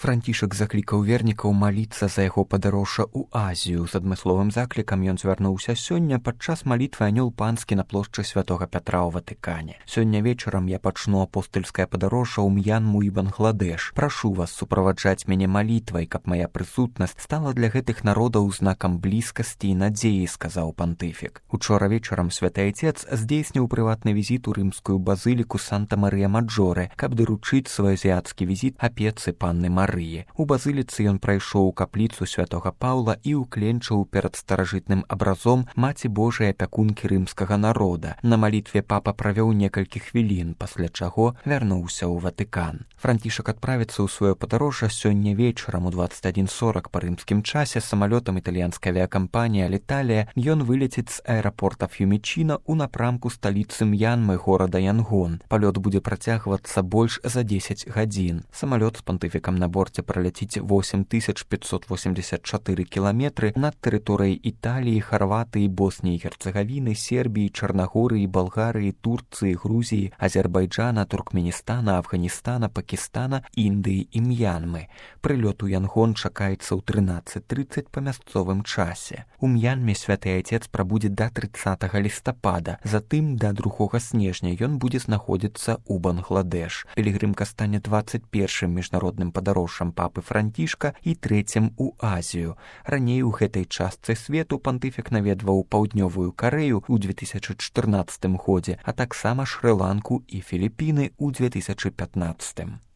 Францішак заклікаў вернікаў маліцца за яго падарожжа ў Азію. З адмысловым заклікам ён звярнуўся сёння падчас малітвы анёл панскі на плошчы святога Пятра ў Ватыкане. Сёння вечарам я пачну апостальскае падарожжа ў М'янму і Бангладеш. Прашу вас суправаджаць мяне малітвай, каб мая прысутнасць стала для гэтых народаў знакам блізкасці і надзеі, сказаў пантыфік. Учора вечарам святы айцец здзейсніў прыватны візіт у рымскую базыліку Санта-Марыя-Маджоре, каб даручыць свой азіяцкі візіт апецы панны Марыі. У базыліцы ён прайшоў у капліцу святога Паўла і ўкленчыў перад старажытным абразом Маці Божай апякункі рымскага народа. На малітве папа правёў некалькі хвілін, пасля чаго вярнуўся ў Ватыкан. Францішак адправіцца ў сваё падарожжа сёння вечарам у 21:40 па рымскім часе самалётам італьянскай авіякампаніі Аліталія. Ён вылеціць з аэрапорта Ф'юмічына ў напрамку сталіцы М'янмы горада Янгон. Палёт будзе працягвацца больш за 10 гадзін. Самалёт з пантыфікам на борце праляціць 8584 кіламетры над тэрыторыяй Італіі, Харватыі, Босніі і Герцагавіны, Сербіі, Чарнагорыі, Балгарыі, Турцыі, Грузіі, Азербайджана, Туркменістана, Афганістана, Пакістана, Індыі і М'янмы. Прылёт у Янгон чакаецца ў 13:30 па мясцовым часе. У М'янме святы айцец прабудзе да 30 лістапада. Затым да 2 снежня ён будзе знаходзіцца ў Бангладеш. Пілігрымка стане 21-м міжнародным падарожжам папы Францішка і 3-м у Азію. Раней у гэтай частцы свету пантыфік наведваў Паўднёвую Карэю ў 2014 годзе, а таксама Шры-Ланку і Філіпіны ў 2015.